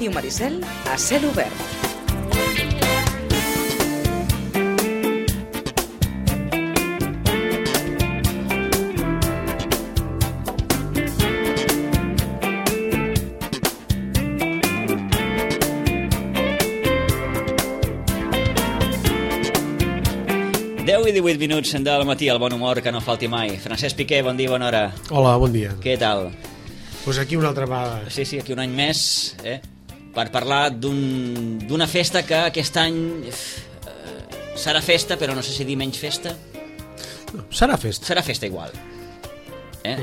Ràdio Maricel a cel obert. I 18 minuts del matí, el bon humor que no falti mai. Francesc Piqué, bon dia, bona hora. Hola, bon dia. Què tal? Pues aquí una altra vegada. Sí, aquí un any més, per parlar d'una festa que aquest any serà festa, però no sé si dir menys festa. No, serà festa. Serà festa igual.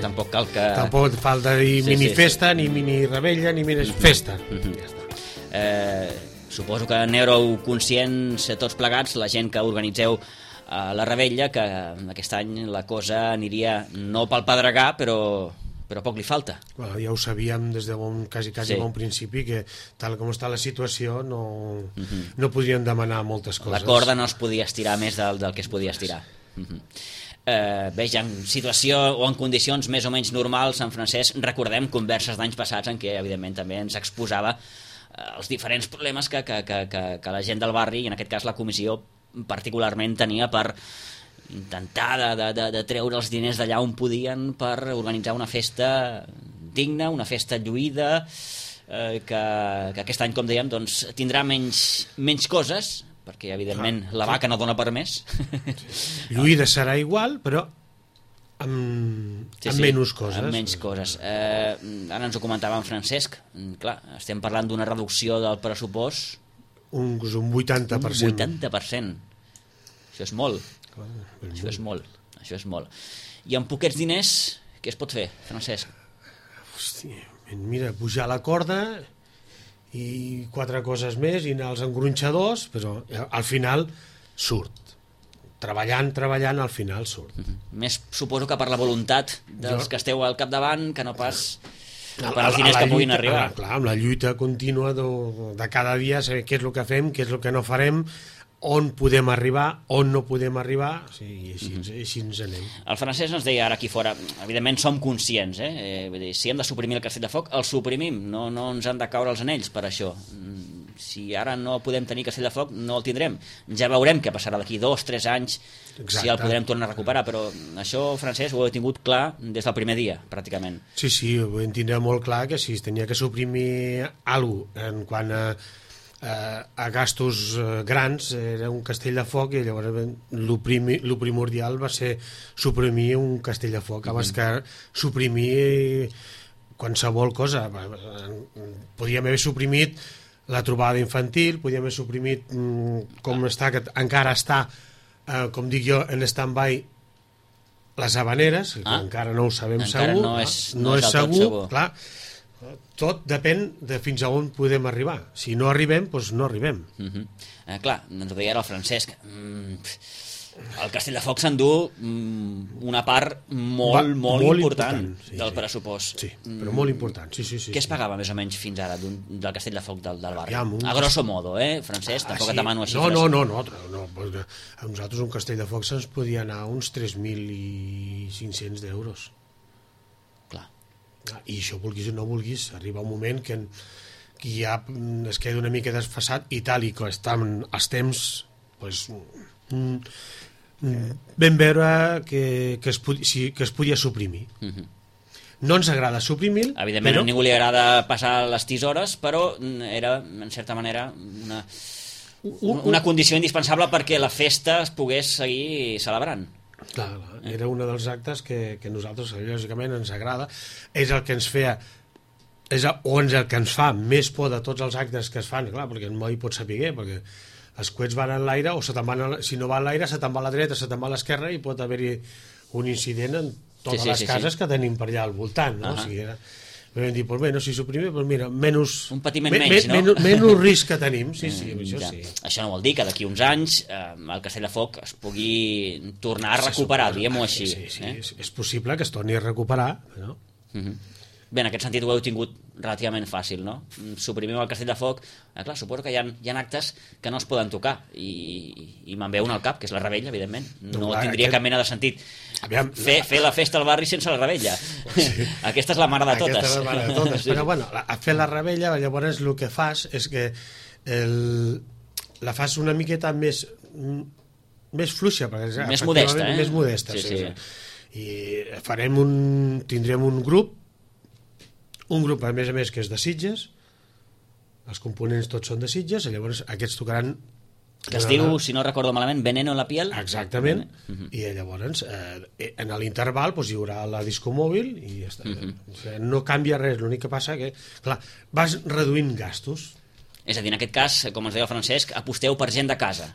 Tampoc cal que... Tampoc falta dir mini-festa, ni mini-rebella, ni mini-festa. Ja està. Suposo que n'éreu conscients tots plegats, la gent que organitzeu la rebella, que aquest any la cosa aniria no pel pedregar, però poc li falta. Bueno, ja ho sabíem des de quasi bon principi, que tal com està la situació no podríem demanar moltes coses. La corda no es podia estirar més del que es podia estirar. Bé, ja en situació o en condicions més o menys normals, en Francesc, recordem converses d'anys passats en què evidentment també ens exposava els diferents problemes que la gent del barri, i en aquest cas la comissió particularment, tenia per intentar de treure els diners d'allà on podien per organitzar una festa digna, una festa lluïda, que aquest any, com dèiem, doncs, tindrà menys coses, perquè evidentment la vaca no dona per més. Lluïda serà igual, però amb menys coses. Amb menys coses. Ara ens ho comentava en Francesc. Clar, estem parlant d'una reducció del pressupost. Un 80%. Un 80%. Això és molt. Això és molt. I amb poquets diners, què es pot fer, Francesc? Hòstia, mira, pujar la corda i 4 coses més i anar als engronxadors, però al final surt. Treballant, al final surt. Més suposo que per la voluntat dels que esteu al capdavant, que no pas per als diners que puguin arribar. Clar, amb la lluita contínua de cada dia, saber què és el que fem, què és el que no farem, on podem arribar, on no podem arribar, i així ens anem. El Francesc ens deia ara aquí fora, evidentment som conscients, vull dir, si hem de suprimir el Castell de Foc, el suprimim, no ens han de caure els anells per això. Si ara no podem tenir Castell de Foc, no el tindrem. Ja veurem què passarà d'aquí 2-3 anys. Exacte. Si el podrem tornar a recuperar, però això, Francesc, ho he tingut clar des del primer dia, pràcticament. Sí, ho vam tindre molt clar, que si es tenia que suprimir alguna cosa en quant a gastos grans, era un Castell de Foc, i llavors el primordial va ser suprimir un Castell de Foc, abans que suprimir qualsevol cosa. Podíem haver suprimit la trobada infantil, podíem haver suprimit com està, que encara està, com dic jo, en stand-by, les Havaneres, que encara no ho sabem encara segur. No és segur. Clar, tot depèn de fins a on podem arribar. Si no arribem, doncs no arribem. Clar, ens ho deia ara el Francesc. El Castell de Foc s'endú una part molt important del pressupost. Sí, però molt important. Sí. Què es pagava més o menys fins ara del Castell de Foc del barri? A grosso modo, Francesc? Tampoc et demano així. No. A nosaltres un Castell de Foc se'ns podia anar uns 3.500 d'euros. Clar. I això, vulguis o no vulguis, arriba un moment que ja es queda una mica desfasat, i tal i que estan els temps, doncs, vam veure que es podia suprimir. No ens agrada suprimir, evidentment a ningú li agrada passar les tisores, però era, en certa manera, una condició indispensable perquè la festa es pogués seguir celebrant. Clar, era un dels actes que a nosaltres, lògicament, ens agrada. És el que ens feia, és el que ens fa més por de tots els actes que es fan, clar, perquè no hi pots saber, perquè els coets van en l'aire, o si no va en l'aire, se te'n va a la dreta, se te'n va a l'esquerra, i pot haver-hi un incident en totes les cases que tenim per allà al voltant, no? O sigui, vam dir, doncs bé, no s'hi suprimir, però mira, un patiment menys, no? Menys risc que tenim, sí, això sí. Això no vol dir que d'aquí uns anys el Castell de Foc es pugui tornar a recuperar, diguem-ho així. Sí, és possible que es torni a recuperar, no? Bé, en aquest sentit ho heu tingut relativament fàcil, no? Suprimiu el Castelldefels, clar, suposo que hi ha actes que no es poden tocar, i me'n ve un al cap, que és la Rebella, evidentment. No tindria cap mena de sentit fer la festa al barri sense la Rebella. Sí. Aquesta és la mare de totes. Aquesta és la mare de totes. Però, bueno, a fer la Rebella, llavors el que fas és que la fas una miqueta més fluixa, perquè més modesta, més modesta, sí. I tindrem un grup, a més que és de Sitges, els components tots són de Sitges, i llavors aquests tocaran... Que es diu, si no recordo malament, Veneno en la piel. Exactament, i llavors en l'interval hi haurà la disco mòbil i ja està. O sigui, no canvia res, l'únic que passa que, clar, vas reduint gastos. És a dir, en aquest cas, com ens deia el Francesc, aposteu per gent de casa.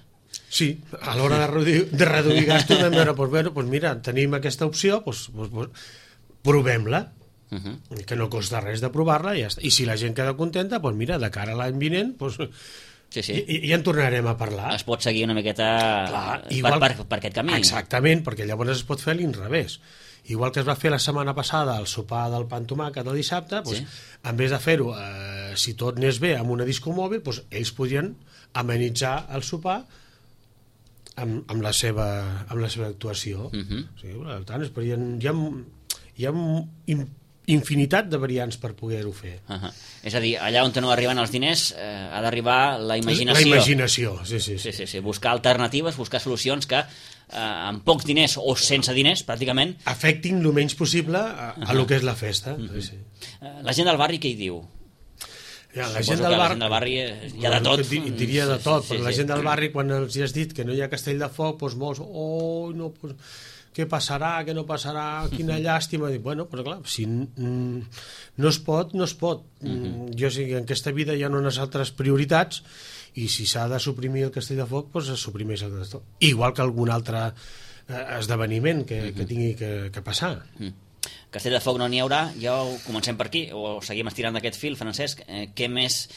Sí, a l'hora de reduir gastos vam veure, doncs mira, tenim aquesta opció, provem-la, que no costa res de provar-la, i ja està. I si la gent queda contenta, doncs mira, de cara a l'any vinent, ja en tornarem a parlar. Es pot seguir una miqueta per aquest camí. Exactament, perquè llavors es pot fer a l'inrevés. Igual que es va fer la setmana passada el sopar del pa amb tomàquet el dissabte, en vez de fer-ho, si tot anés bé, amb una disco mòbil, ells podien amenitzar el sopar amb la seva actuació. Sí, per tant, hi ha infinitat de variants per poder-ho fer. És a dir, allà on no arriben els diners ha d'arribar la imaginació. La imaginació, sí. Buscar alternatives, buscar solucions que amb pocs diners o sense diners, pràcticament... afectin el menys possible a lo que és la festa. La gent del barri què hi diu? La gent del barri hi ha de tot. Diria de tot, però la gent del barri, quan els has dit que no hi ha Castelldefels, doncs molts, què passarà, què no passarà, quina llàstima. Bueno, però clar, si no es pot, no es pot. Jo sé que en aquesta vida hi ha unes altres prioritats, i si s'ha de suprimir el Castelldefels, doncs es suprimeix el Castelldefels. Igual que algun altre esdeveniment que tingui que passar. Castelldefels no n'hi haurà, ja ho comencem per aquí, o seguim estirant d'aquest fil, Francesc. Què més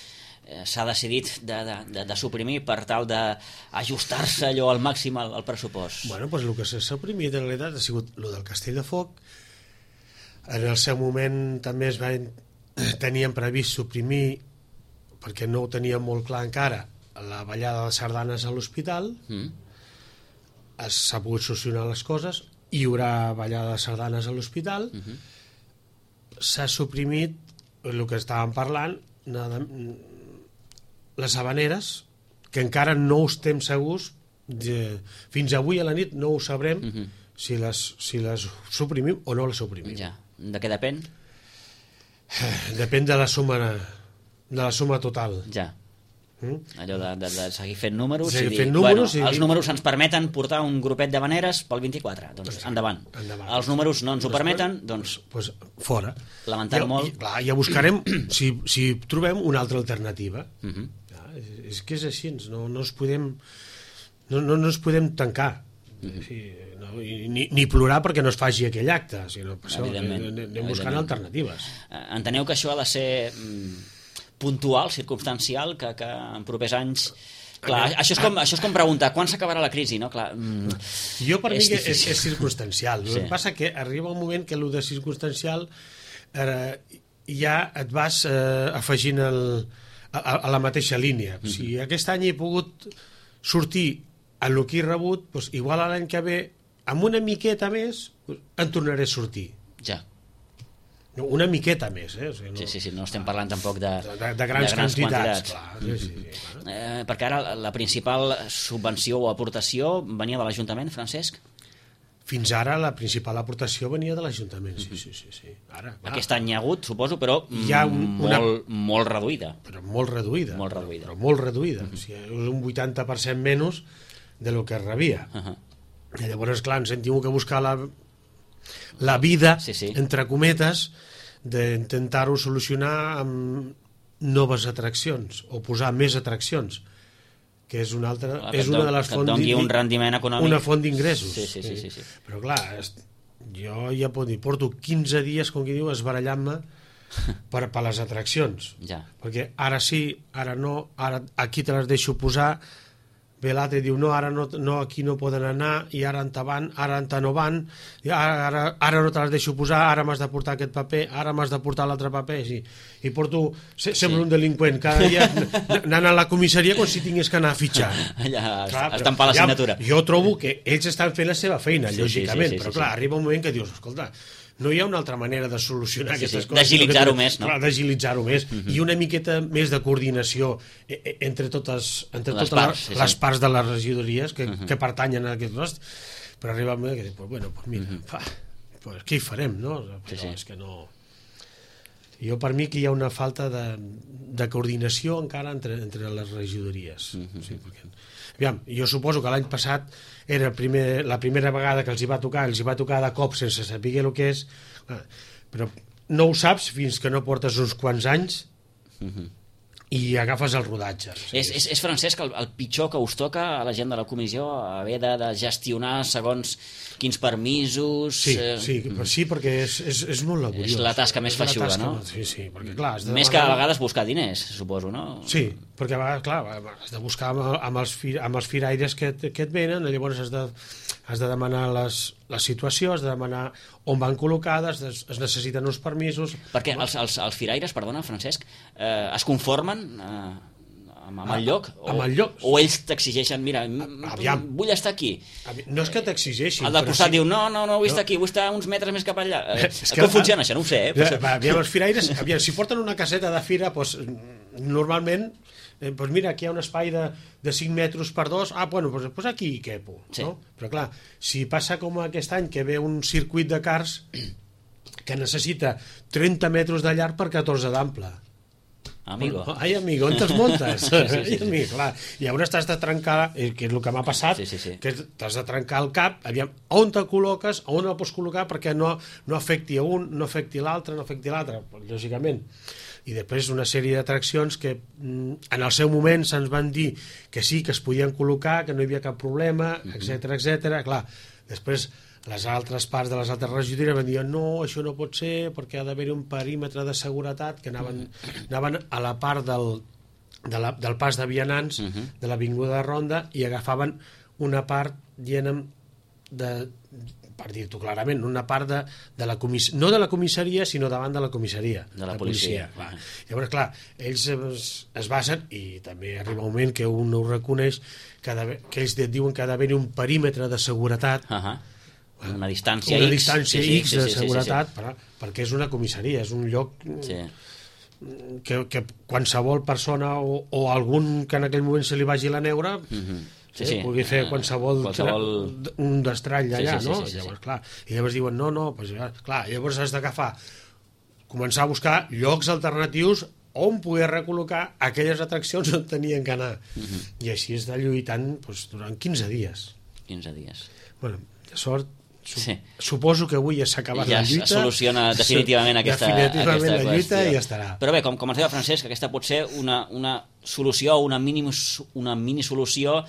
s'ha decidit de suprimir per tal d'ajustar-se allò al màxim al pressupost? Bueno, doncs el que s'ha suprimit en realitat ha sigut el del Castelldefels. En el seu moment també tenien previst suprimir, perquè no ho teníem molt clar encara, la ballada de sardanes a l'hospital. S'ha pogut solucionar les coses, hi haurà ballada de sardanes a l'hospital. S'ha suprimit el que estàvem parlant, les habaneres, que encara no estem segurs, fins avui a la nit no ho sabrem si les suprimim o no les suprimim. Ja. De què depèn? Depèn de la suma total. Ja. Allò de seguir fent números, els números ens permeten portar un grupet d'habaneres pel 24, doncs endavant. Els números no ens ho permeten, doncs fora. Lamentar molt. Ja buscarem si trobem una altra alternativa. És que és així, no ens podem tancar, ni plorar perquè no es faci aquell acte, sinó anem buscant alternatives. Enteneu que això ha de ser puntual, circumstancial, que en propers anys... Clar, això és com preguntar quan s'acabarà la crisi, no? Clar, jo per mi és circumstancial. El que passa que arriba un moment que el de circumstancial ja et vas afegint a la mateixa línia. Si aquest any he pogut sortir en el que he rebut, doncs igual l'any que ve, amb una miqueta més, en tornaré a sortir. Ja. Una miqueta més, no estem parlant tampoc de grans quantitats. Clar. Perquè ara la principal subvenció o aportació venia de l'Ajuntament, Francesc? Fins ara la principal aportació venia de l'Ajuntament, sí. Aquest any hi ha hagut, suposo, però molt reduïda. Però molt reduïda. O sigui, és un 80% menys de lo que es rebia. I llavors, clar, ens hem tingut que buscar la vida, entre cometes, d'intentar-ho solucionar amb noves atraccions o posar més atraccions, que és una altra, és una de les fonts, un rendiment econòmic, una font d'ingressos. Sí. Però clar, jo ja porto 15 dies, com qui diu, esbarallant-me per les atraccions, perquè ara sí, ara no, ara aquí te les deixo posar, ve l'altre i diu no, ara no, aquí no poden anar, i ara en van, ara en no van, i ara no te les deixo posar, ara m'has de portar aquest paper, ara m'has de portar l'altre paper, sí. I porto, sembla un delinqüent, cada dia anant a la comissaria com si tingués que anar a fitxar. Allà, estampar la signatura. Jo trobo que ells estan fent la seva feina, lògicament, però clar, arriba un moment que dius, escolta, no hi ha una altra manera de solucionar aquestes coses. D'agilitzar-ho més, no? Clar, d'agilitzar-ho més. I una miqueta més de coordinació entre totes les parts de les regidories que pertanyen a aquest nostre. Però arriba un moment que dius, bueno, mira, què hi farem, no? Però és que no... Jo, per mi, que hi ha una falta de coordinació encara entre les regidories. Sí, perquè... Aviam, jo suposo que l'any passat era la primera vegada que els hi va tocar de cop sense saber el que és, però no ho saps fins que no portes uns quants anys i agafes el rodatge. És Francesc, el pitjor que us toca a la gent de la comissió, haver de gestionar segons quins permisos... Sí, perquè és molt laboriós. És la tasca més feixuga, no? Sí, perquè clar... Més que a vegades buscar diners, suposo, no? Sí, perquè a vegades, clar, has de buscar amb els firaires que et venen, llavors has de demanar la situació, has de demanar on van col·locades, es necessiten uns permisos... Perquè els firaires, perdona, Francesc, es conformen amb el lloc? Amb el lloc. O ells t'exigeixen, mira, vull estar aquí. No és que t'exigeixin. El del costat diu, no, vull estar aquí, vull estar uns metres més cap allà. Com funciona això? No ho sé. Aviam, els firaires, si porten una caseta de fira, normalment... Doncs mira, aquí hi ha un espai de 5 metres per 2, doncs aquí hi quepo, no? Però clar, si passa com aquest any que ve un circuit de cars que necessita 30 metres de llarg per 14 d'ample. Amigo. Ai, amigo, on te'ls muntes? Sí. Clar. Llavors t'has de trencar, que és el que m'ha passat, que t'has de trencar el cap, aviam, on te col·loques, on el pots col·locar perquè no afecti a un, no afecti l'altre, lògicament. I després una sèrie d'atraccions que en el seu moment se'ns van dir que sí, que es podien col·locar, que no hi havia cap problema, etc. Clar, després les altres parts de les altres regidories van dir no, això no pot ser perquè ha d'haver un perímetre de seguretat, que anaven a la part del pas de vianants de l'avinguda de Ronda i agafaven una part, diguem, per dir-t'ho clarament, una part de la comissaria, no de la comissaria, sinó davant de la comissaria. De la policia. Clar. Llavors, clar, ells es basen, i també arriba un moment que un ho reconeix, que ells et diuen que ha d'haver un perímetre de seguretat, una distància X de seguretat, perquè és una comissaria, és un lloc que qualsevol persona o algun que en aquell moment se li vagi la neura... pugui fer qualsevol un destrall allà, no? Llavors, clar, i llavors diuen, llavors has d'agafar, començar a buscar llocs alternatius on poder recol·locar aquelles atraccions on tenien que anar. I així és de lluitant durant 15 dies. 15 dies. Bueno, de sort, suposo que avui ja s'ha acabat la lluita. Ja es soluciona definitivament aquesta lluita i ja estarà. Però bé, com ens deia Francesc, aquesta pot ser una solució, una mini solució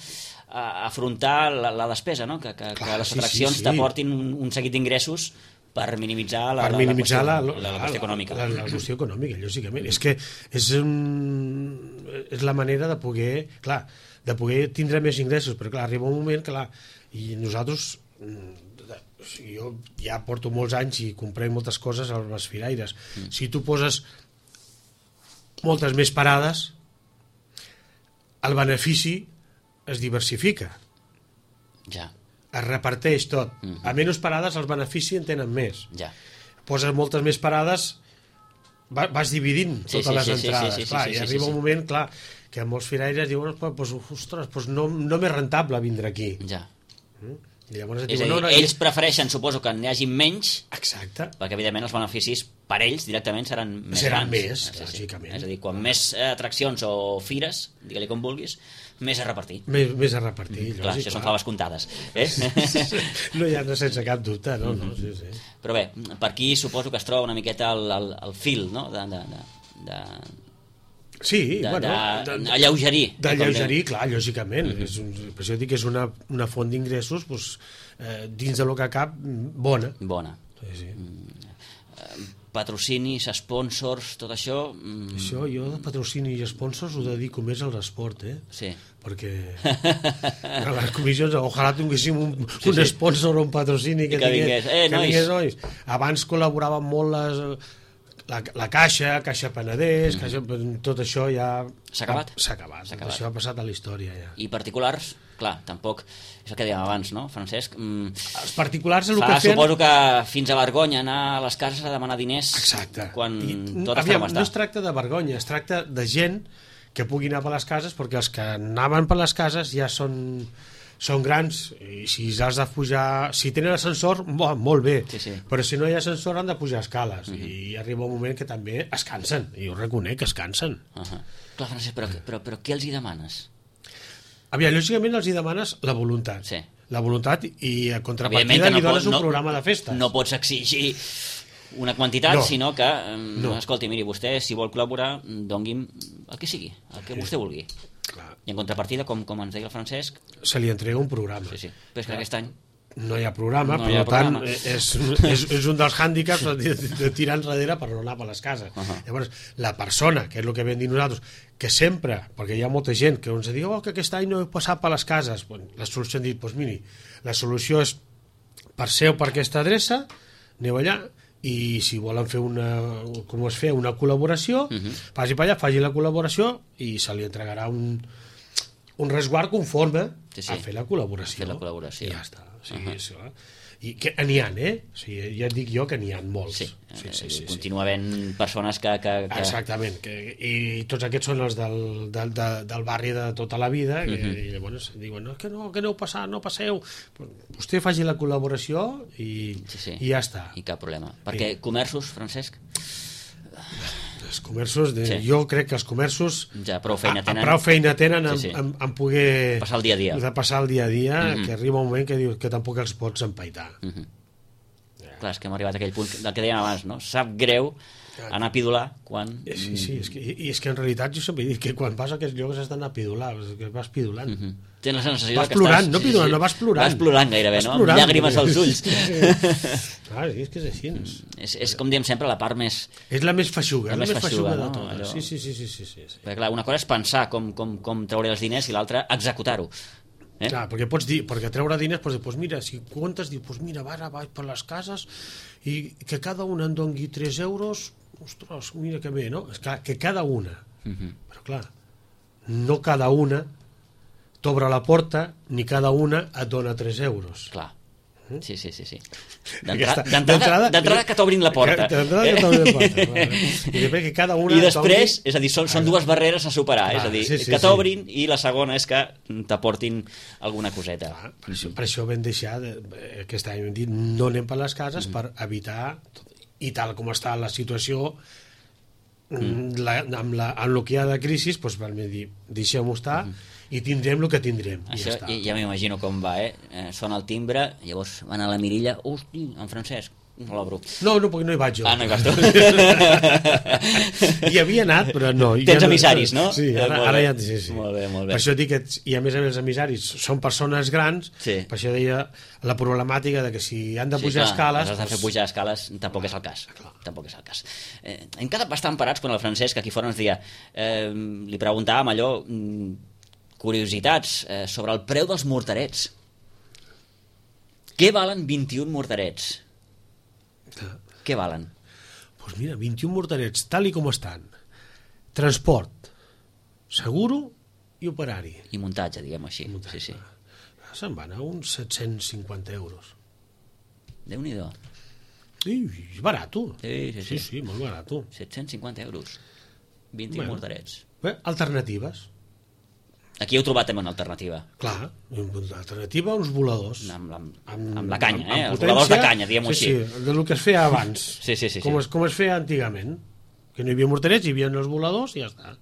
a afrontar la despesa, no? Que les atraccions t'aportin un seguit d'ingressos per minimitzar la qüestió econòmica. La qüestió econòmica, lògicament. És que és la manera de poder tindre més ingressos, però clar, arriba un moment que i nosaltres, jo ja porto molts anys i comprem moltes coses als firaires. Si tu poses moltes més parades, el benefici es diversifica. Ja. Es reparteix tot. A menys parades els beneficis en tenen més. Ja. Poses moltes més parades, vas dividint totes les entrades. I arriba un moment, clar, que molts firaires diuen, ostres, no m'és rentable vindre aquí. Ja. Llavors, és a dir, ells prefereixen, suposo, que n'hi hagi menys. Exacte. Perquè evidentment els beneficis per ells directament seran més grans. Lògicament. És a dir, quan més atraccions o fires, digue-li com vulguis, més a repartir. Més a repartir. Clar, això són faves comptades. No hi ha sense cap dubte, no? Sí. Però bé, per aquí suposo que es troba una miqueta el fil, no?, sí, d'alleugerir. D'alleugerir, clar, lògicament. Per això dic que és una font d'ingressos dins de lo que cap bona. Bona. Sí. patrocinis, sponsors, tot això... Això jo de patrocini i sponsors ho dedico més a l'esport, Sí. Perquè a les comissions ojalà tinguéssim un sponsor o un patrocini que vingués, nois. Abans col·laboraven molt la Caixa Penedès, tot això ja... S'ha acabat? S'ha acabat. Això ha passat a la història ja. I particulars, clar, tampoc és el que dèiem abans, no, Francesc? Els particulars el que feien... Suposo que fins a vergonya anar a les cases a demanar diners. Exacte. Quan tot està com està. No es tracta de vergonya, es tracta de gent que pugui anar per les cases, perquè els que anaven per les cases ja són grans, i si has de pujar, si tenen ascensor, molt bé, sí. Però si no hi ha ascensor han de pujar escales, i arriba un moment que també es cansen, i ho reconec que es cansen. Clar, Francesc, però què els hi demanes? Aviam, lògicament els hi demanes la voluntat. Sí. La voluntat, i a contrapartida li dones un programa de festes. No pots exigir una quantitat, sinó que, escolti, miri, vostè, si vol col·laborar, doni'm el que sigui, el que vostè vulgui. Clar. I en contrapartida, com ens deia el Francesc... Se li entrega un programa. Sí. Però és que aquest any... No hi ha programa, per tant, és un dels hàndicaps de tirar enrere per no anar per les cases. Llavors, la persona, que és el que vam dir nosaltres, que sempre, perquè hi ha molta gent que ens diu que aquest any no he passat per les cases, la solució hem dit, miri, la solució és passeu per aquesta adreça, aneu allà, i si volen fer com es feia, una col·laboració, passi per allà, faci la col·laboració i se li entregarà un resguard conforme a fer la col·laboració. I ja està. I que n'hi ha, o sigui, ja et dic jo que n'hi ha molts. Sí. Continua havent persones que... Exactament, i tots aquests són els del barri de tota la vida, i llavors diuen que aneu passant, no passeu. Vostè faci la col·laboració i ja està. I cap problema. Perquè comerços, Francesc... Els comerços, jo crec que els comerços ja prou feina tenen en poder passar el dia a dia, que arriba un moment que dius que tampoc els pots empaitar. Clar, és que hem arribat a aquell punt del que dèiem abans, no? Sap greu anar a pidolar quan... Sí, és que en realitat jo sempre dic que quan vas a aquests llocs has d'anar a pidolar, que vas pidolant. Tens la sensació vas plorant, no pidolant, no vas plorant. Vas plorant gairebé, no? Amb llàgrimes als ulls. Clar, és que és així. És com diem sempre, la part més... És la més feixuga, de totes. Sí. Perquè clar, una cosa és pensar com treure els diners i l'altra executar-ho. Clar, perquè pots dir, perquè treure diners, doncs mira, si comptes, dius, mira, vaig per les cases i que cada una em doni 3 euros, ostres, mira que bé, no? És clar, que cada una, però clar, no cada una t'obre la porta, ni cada una et dona 3 euros. Clar. Sí. D'entrada que t'obrin la porta. I després, és a dir, són dues barreres a superar, és a dir, que t'obrin, i la segona és que t'aportin alguna coseta. Per això vam deixar, aquest any hem dit, no anem per les cases per evitar, i tal com està la situació, amb el que hi ha de crisi, doncs vam dir, deixem-ho estar, i tindrem el que tindrem. Això ja m'imagino com va, sona el timbre, llavors van a la mirilla, hosti, en Francesc, no l'obro. No, perquè no hi vaig jo. No hi vas tu. Hi havia anat, però no. Tens emissaris, no? Sí, ara ja... Sí. Molt bé. Per això dic que, i a més els emissaris són persones grans, per això deia la problemàtica de que si han de pujar escales... Si has de fer pujar escales tampoc és el cas. Tampoc és el cas. Hem quedat bastant parats quan el Francesc aquí fora ens deia, li preguntàvem allò... curiositats sobre el preu dels morterets. Què valen 21 morterets? Què valen? Doncs mira, 21 morterets, tal i com estan. Transport, seguro i operari. I muntatge, diguem així. Sí. Se'n van a uns 750 euros. Déu-n'hi-do. És barato. Sí, molt barato. 750 euros. 21 morterets. Bé, alternatives. Aquí heu trobat també una alternativa. Clar, l'alternativa, uns voladors. Amb la canya, els voladors de canya, diguem-ho així. Sí, del que es feia abans. Sí. Com es feia antigament. Que no hi havia morterets, hi havia els voladors i ja està.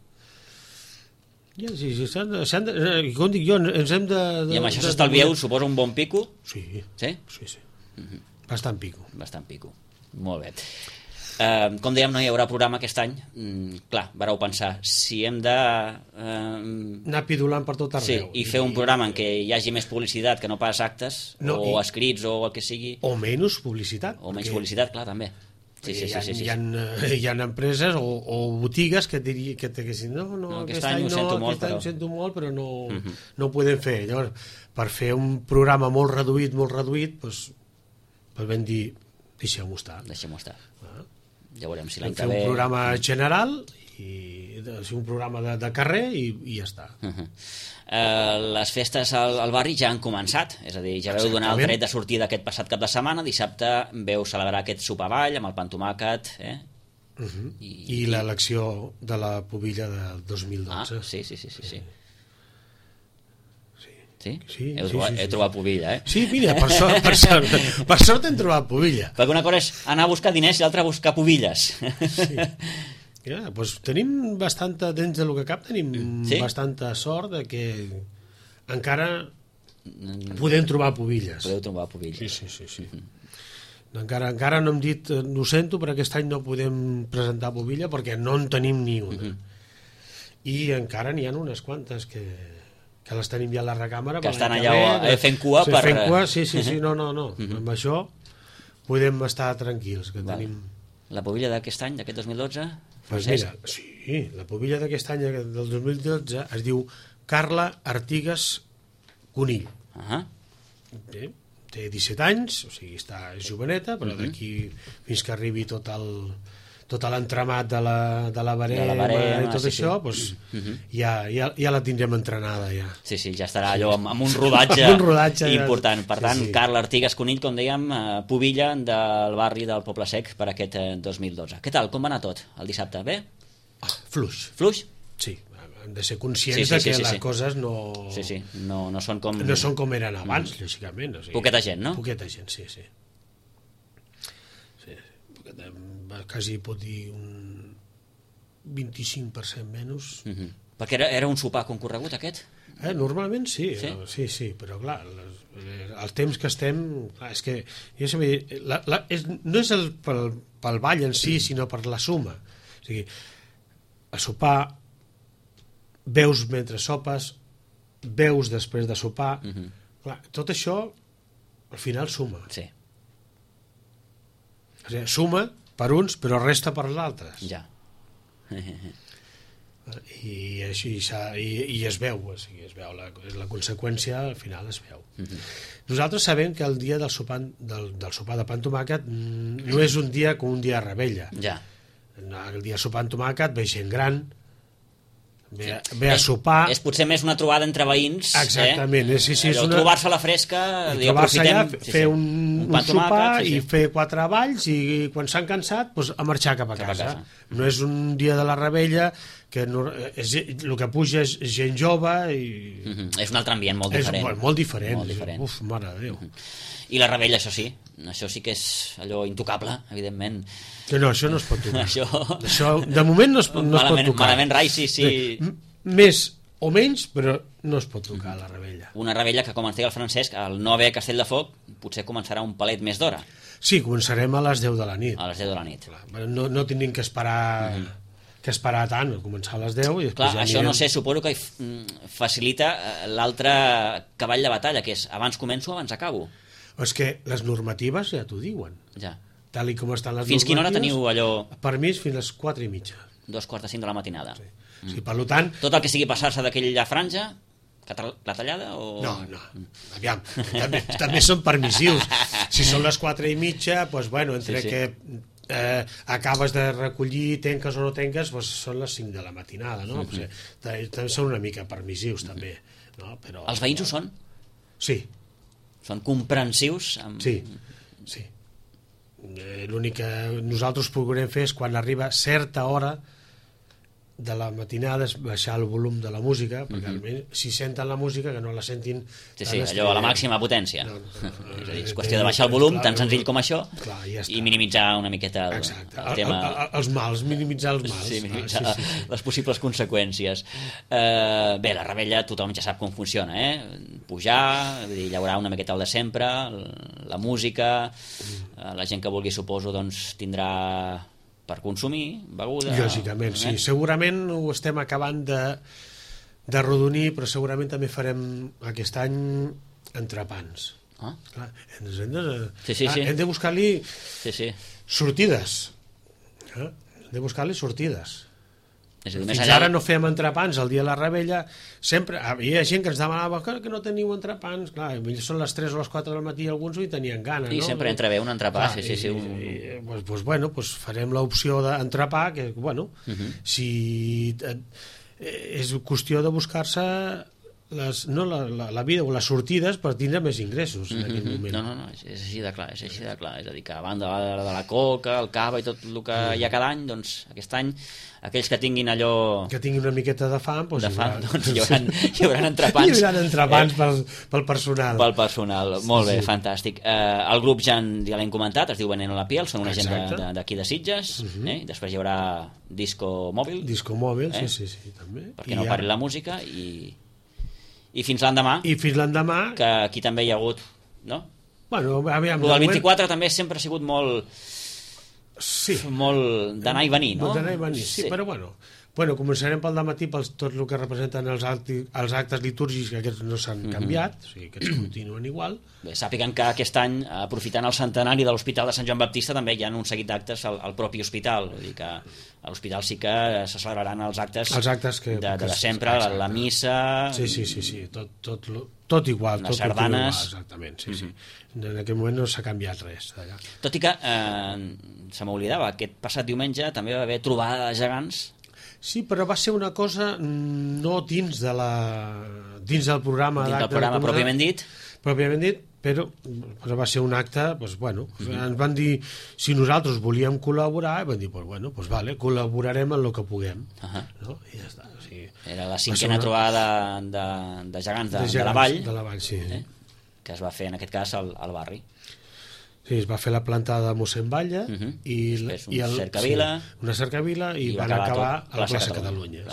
Com dic jo, ens hem de... I amb això s'estalvieu, suposo, un bon pico? Sí. Sí? Bastant pico. Molt bé. Com dèiem, no hi haurà programa aquest any. Clar, vareu pensar, si hem de... anar pidolant per tot arreu. Sí, i fer un programa en què hi hagi més publicitat que no pas actes, o escrits, o el que sigui... O menys publicitat. O menys publicitat, clar, també. Sí. Hi ha empreses o botigues que t'haguessin no, aquest any ho sento molt, però no ho podem fer. Llavors, per fer un programa molt reduït, doncs vam dir, deixem-ho estar. Ja veurem si l'any que ve... ve... un programa general, un programa de carrer i ja està. Les festes al barri ja han començat, és a dir, ja veu donar el tret de sortida aquest passat cap de setmana, dissabte veu celebrar aquest sopar ball amb el pa amb tomàquet, i l'elecció de la pubilla del 2012. Sí. Sí? Sí. He trobat pubilla, Sí, mira, per sort hem trobat pubilla. Perquè una cosa és anar a buscar diners i l'altra a buscar pubilles. Sí. Doncs tenim bastanta, dins del que cap, tenim bastanta sort de que encara podem trobar pubilles. Podeu trobar pubilles. Sí. Encara no hem dit, ho sento, però aquest any no podem presentar pubilla perquè no en tenim ni una. I encara n'hi ha unes quantes que les tenim ja a la recàmera, que estan allà fent cua per... Fent cua, sí, no. Amb això podem estar tranquils, que tenim... La pubilla d'aquest any, d'aquest 2012? Pues mira, sí, la pubilla d'aquest any del 2012 es diu Carla Artigas Conill. Té 17 anys, o sigui, és joveneta, però d'aquí fins que arribi tot l'entramat de la barema i tot això, doncs ja la tindrem entrenada ja. Sí, ja estarà allò amb un rodatge important. Per tant, Carla Artigas Conill, com dèiem, pubilla del barri del Poble Sec per aquest 2012. Què tal? Com va anar tot el dissabte? Bé? Fluix. Fluix? Sí, hem de ser conscients que les coses no són com eren abans, lògicament. Poqueta gent, no? Poqueta gent, sí. Quasi pot dir un 25% menys. Perquè era un sopar concorregut aquest? Normalment sí, però clar, el temps que estem, és que no és pel ball en si, sinó per la suma. O sigui, a sopar veus mentre sopes, veus després de sopar, clar, tot això al final suma. Sí. O sigui, suma per uns, però resta per els altres. Ja. I així i es veu, o sigui, la conseqüència al final es veu. Nosaltres sabem que el dia del sopar de pa amb tomàquet no és un dia com un dia de revetlla. Ja. El dia de sopar amb tomàquet ve gent gran, ve a sopar. És potser més una trobada entre veïns. Exactament. Trobar-se a la fresca, trobar-se allà, fer un sopar i fer 4 balls i quan s'han cansat a marxar cap a casa. No és un dia de la revetlla que el que puja és gent jove i... És un altre ambient molt diferent. És molt diferent. Uf, mare de Déu. I la revetlla, això sí que és allò intocable, evidentment. Que no, això no es pot tocar. Això de moment no es pot tocar. Malament rai, sí. Més o menys, però no es pot tocar la revetlla. Una revetlla que, com ens deia el Francesc, al no haver Castell de Foc, potser començarà un palet més d'hora. Sí, començarem a les 10 de la nit. A les 10 de la nit. No tenim que esperar tant, començar a les 10 i després clar, això no sé, suposo que facilita l'altre cavall de batalla, que és abans començo, abans acabo. És que les normatives ja t'ho diuen. Ja. Tal com estan les fins quina hora teniu allò? Per mi és fins a les 4:30. 2:45 de la matinada. Sí, per tant... Tot el que sigui passar-se d'aquella franja, clatellada o... No, aviam, també són permissius. Si són les 4:30, doncs bueno, entre que acabes de recollir, tenques o no tenques, doncs són les 5 de la matinada, no? També són una mica permissius, també. No? Però, els veïns ho són? Sí. Són comprensius? Sí. L'únic que nosaltres procurem fer és quan arriba certa hora de la matinada és baixar el volum de la música, perquè almenys si senten la música que no la sentin... Sí, allò a la màxima potència. És qüestió de baixar el volum, tan senzill com això, i minimitzar una miqueta el tema... Els mals, minimitzar els mals. Sí, minimitzar les possibles conseqüències. Bé, la revetlla tothom ja sap com funciona, pujar, llaurar una miqueta el de sempre, la música, la gent que vulgui, suposo, doncs tindrà... per consumir beguda... Lògicament, sí. Segurament ho estem acabant de rodonir, però segurament també farem aquest any entrepans. Clar, hem de buscar-li sortides. Hem de buscar-li sortides. Fins ara no fèiem entrepans el dia de la rebella, sempre hi ha gent que ens demanava que no teniu entrepans, clar, són les 3 o les 4 del matí, alguns hi tenien gana, i no? sempre entra bé un entrepà, doncs farem l'opció d'entrepà, que bueno, si és qüestió de buscar-se la vida o les sortides per tindre més ingressos en aquell moment. No, és així de clar, és a dir que a banda de la coca, el cava i tot el que hi ha cada any, doncs aquest any aquells que tinguin allò... Que tinguin una miqueta de fam, doncs hi haurà entrepans. Hi haurà entrepans pel personal. Pel personal, molt bé, fantàstic. El grup ja l'hem comentat, es diu Veneno a la piel, són una gent d'aquí de Sitges, després hi haurà Disco Mòbil. Disco Mòbil, sí, també. Perquè no pari la música i fins l'endemà. I fins l'endemà. Que aquí també hi ha hagut, no? Bueno, aviam. El 24 també sempre ha sigut molt... Sí. Molt d'anar i venir, no? D'anar i venir, sí, però bueno, començarem pel dematí per tot el que representen els actes litúrgics, que aquests no s'han canviat, o sigui, aquests continuen igual. Bé, sàpiguen que aquest any, aprofitant el centenari de l'Hospital de Sant Joan Baptista, també hi ha un seguit d'actes al propi hospital, vull dir que a l'hospital sí que se celebraran els actes de sempre, la missa... Sí, tot igual. Les sardanes... Exactament, sí. En aquell moment no s'ha canviat res d'allà. Tot i que, se m'oblidava, aquest passat diumenge també va haver trobada de gegants. Sí, però va ser una cosa no dins del programa... Dins del programa pròpiament dit. Pròpiament dit, però va ser un acte, ens van dir si nosaltres volíem col·laborar, i van dir, vale, col·laborarem en el que puguem. No? I ja està. O sigui, era la cinquena trobada de gegants de la Vall. De la Vall, sí. Que es va fer, en aquest cas, al barri. Sí, es va fer la plantada de mossèn Batlle i cercavila, una cercavila i van acabar a la plaça Catalunya.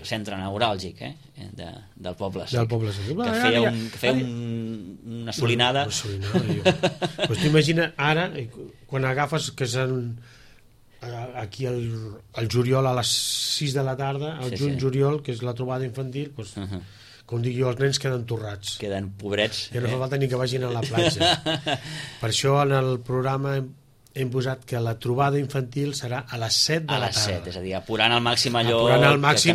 Centre neuràlgic del poble. Del poble, sí. Que feia una solinada. Pues t'imagina ara, quan agafes que són aquí al juliol a les 6 de la tarda, al juny-juliol, que és la trobada infantil, doncs com dic jo, els nens queden torrats. Queden pobrets. Ja no fa falta ni que vagin a la platja. Per això en el programa hem posat que la trobada infantil serà a les 7 de la tarda. A les 7, és a dir, apurant al màxim allò que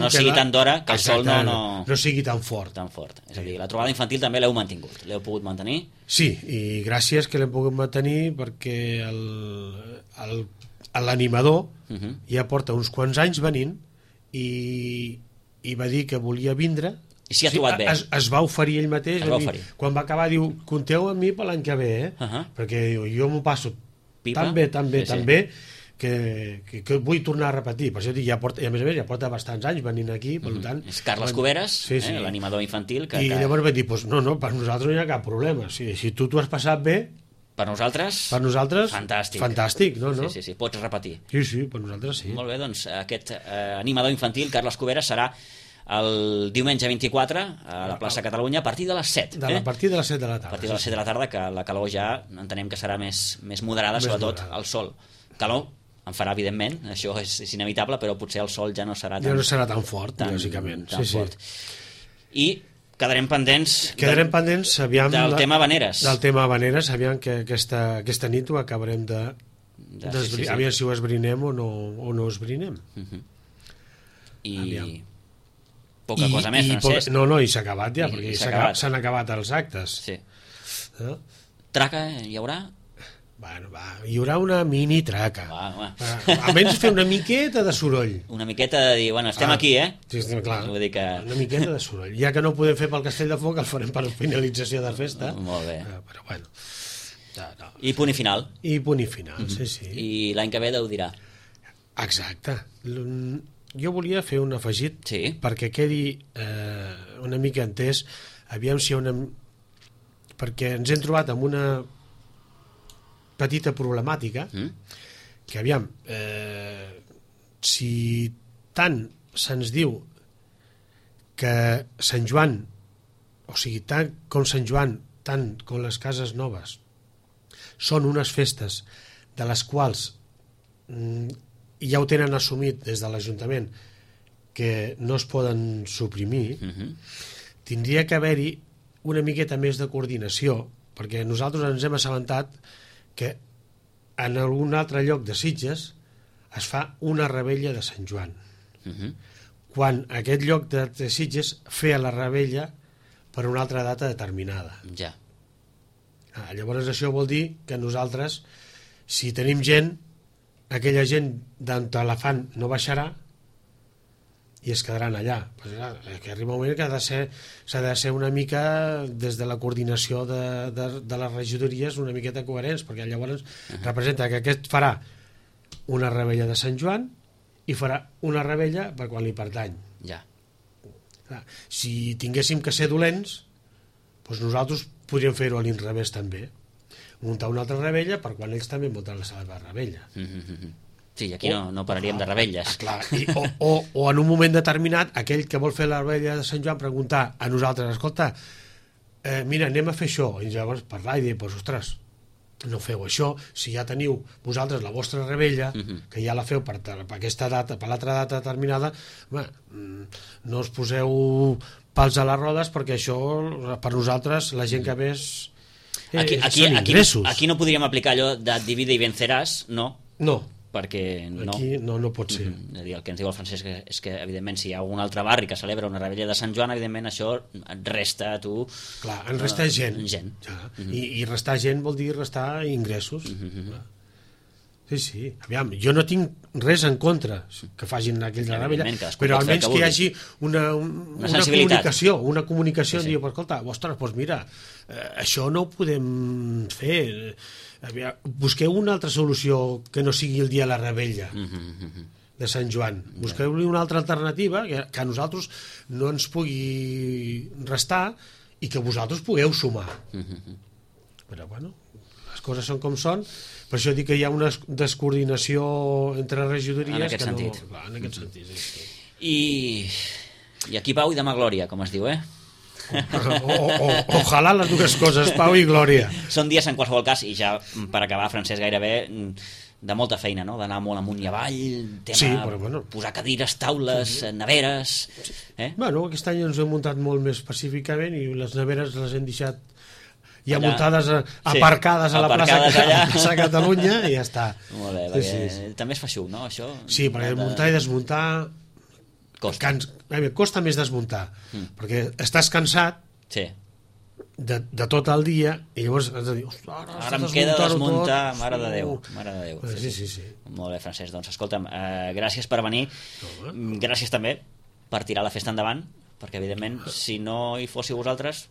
no sigui tant d'hora, que el sol no sigui tan fort. És a dir, la trobada infantil també l'heu mantingut, l'heu pogut mantenir? Sí, i gràcies que l'hem pogut mantenir perquè l'animador ja porta uns quants anys venint i va dir que volia vindre. I s'hi ha trobat bé. Es va oferir ell mateix. Quan va acabar, diu, compteu amb mi per l'any que ve, perquè jo m'ho passo tan bé, que vull tornar a repetir. Per això dic, a més a més, ja porta bastants anys venint aquí, per tant... És Carles Cuberes, l'animador infantil. I llavors va dir, no, per nosaltres no hi ha cap problema. Si tu t'ho has passat bé... Per nosaltres, fantàstic, no? Sí, pots repetir. Sí, per nosaltres sí. Molt bé, doncs aquest animador infantil, Carles Cuberes, serà el diumenge 24 a la plaça Catalunya a partir de les 7. A partir de les 7 de la tarda. A partir de les 7 de la tarda, que la calor ja entenem que serà més moderada, sobretot el sol. Calor en farà, evidentment, això és inevitable, però potser el sol ja no serà tan fort, lògicament. Fort. I quedarem pendents aviam, del tema Veneres. Del tema Veneres, aviam que aquesta nit ho acabarem aviam si ho esbrinem o no esbrinem. I poca cosa més, Francesc. I s'ha acabat ja, perquè s'han acabat els actes. Sí. Traca hi haurà? Hi haurà una mini traca. Almenys fer una miqueta de soroll. Una miqueta de dir, estem aquí, Sí, clar, vull dir que... una miqueta de soroll. Ja que no ho podem fer pel Castell de Foc, el farem per finalització de festa. Molt bé. Però bueno... I punt i final. Sí. I l'any que ve Déu dirà. Exacte. Jo volia fer un afegit perquè quedi una mica entès, aviam si hi ha perquè ens hem trobat amb una petita problemàtica que aviam si tant se'ns diu que Sant Joan, o sigui, tant com Sant Joan, tant com les Cases Noves són unes festes de les quals ja ho tenen assumit des de l'Ajuntament que no es poden suprimir, tindria que haver-hi una miqueta més de coordinació perquè nosaltres ens hem assabentat que en algun altre lloc de Sitges es fa una revetlla de Sant Joan. Quan aquest lloc de Sitges feia la revetlla per una altra data determinada. Ja. Llavors això vol dir que nosaltres, si tenim gent, aquella gent d'on la fan no baixarà i es quedaran allà. Que arriba un moment que s'ha de ser una mica, des de la coordinació de les regidories, una miqueta coherents, perquè llavors representa que aquest farà una revetlla de Sant Joan i farà una revetlla per quan li pertany. Ja. Si tinguéssim que ser dolents, doncs nosaltres podríem fer-ho a l'inrevés també, muntar una altra revetlla per quan ells també munten la seva revetlla. Sí, aquí no pararíem de rebelles. Clar, o en un moment determinat aquell que vol fer la revetlla de Sant Joan preguntar a nosaltres, escolta, mira, anem a fer això, i llavors parlar i dir, doncs, ostres, no feu això, si ja teniu vosaltres la vostra revetlla, que ja la feu per aquesta data, per l'altra data determinada, no us poseu pals a les rodes, perquè això per nosaltres, la gent que ves són ingressos. Aquí no podríem aplicar allò de divide i venceràs, no? No, perquè no. Aquí no pot ser. És a dir, el que ens diu el Francesc és que, evidentment, si hi ha algun altre barri que celebra una revetlla de Sant Joan, evidentment això et resta a tu... Clar, en resta gent. Ja. I restar gent vol dir restar ingressos. Sí. Aviam, jo no tinc res en contra que facin aquella revetlla, però almenys que hi hagi una comunicació, sí. Diu, escolta, ostres, doncs mira, això no ho podem fer... Busqueu una altra solució que no sigui el dia de la revetlla de Sant Joan. Busqueu-li una altra alternativa que a nosaltres no ens pugui restar i que vosaltres pugueu sumar. Però bueno, les coses són com són. Per això dic que hi ha una descoordinació entre regidories. En aquest sentit. Clar, en aquest sentit, sí. I aquí Pau i demà Glòria, com es diu, Ojalà les dues coses, Pau i Glòria. Són dies en qualsevol cas, i ja per acabar, Francesc, gairebé de molta feina, no? D'anar molt amunt i avall, posar cadires, taules, neveres... Bueno, aquest any ens hem muntat molt més pacíficament i les neveres les hem deixat ja muntades, aparcades a la plaça Catalunya i ja està. Molt bé, perquè també es fa xup, no, això? Sí, perquè muntar i desmuntar... Costa més desmuntar, perquè estàs cansat de tot el dia i llavors has de dir, ara em queda desmuntar, mare de Déu. Sí. Molt bé, Francesc, doncs escolta'm, gràcies per venir, gràcies també per tirar la festa endavant, perquè evidentment si no hi fóssiu vosaltres...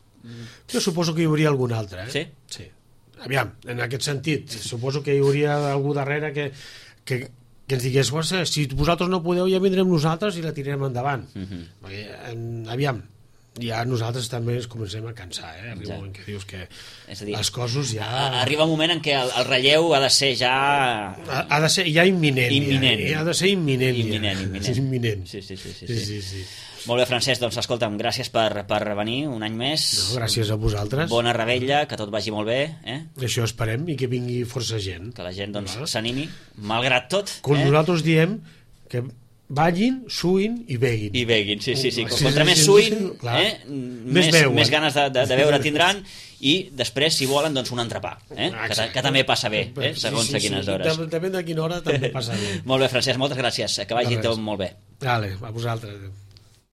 Jo suposo que hi hauria algun altre, Sí? Sí. Aviam, en aquest sentit, suposo que hi hauria algú darrere que ens digués, si vosaltres no podeu ja vindrem nosaltres i la tirarem endavant. Perquè, aviam, ja nosaltres també ens comencem a cansar, arriba un moment que dius que les coses ja... Arriba un moment en què el relleu ha de ser ja... Ha de ser ja imminent. Ha de ser imminent. Imminent. Sí. Molt bé, Francesc, doncs escolta'm, gràcies per venir un any més. No, gràcies a vosaltres. Bona revetlla, que tot vagi molt bé. Això esperem, i que vingui força gent. Que la gent s'animi, malgrat tot. Com nosaltres diem, que ballin, suïn i beguin. I beguin, sí. Contra més suïn, més ganes de beure tindran, i després, si volen, doncs un entrepà, que també passa bé, segons a quines hores. Depèn de quina hora també passa bé. Molt bé, Francesc, moltes gràcies, que vagi tot molt bé. Vale, a vosaltres.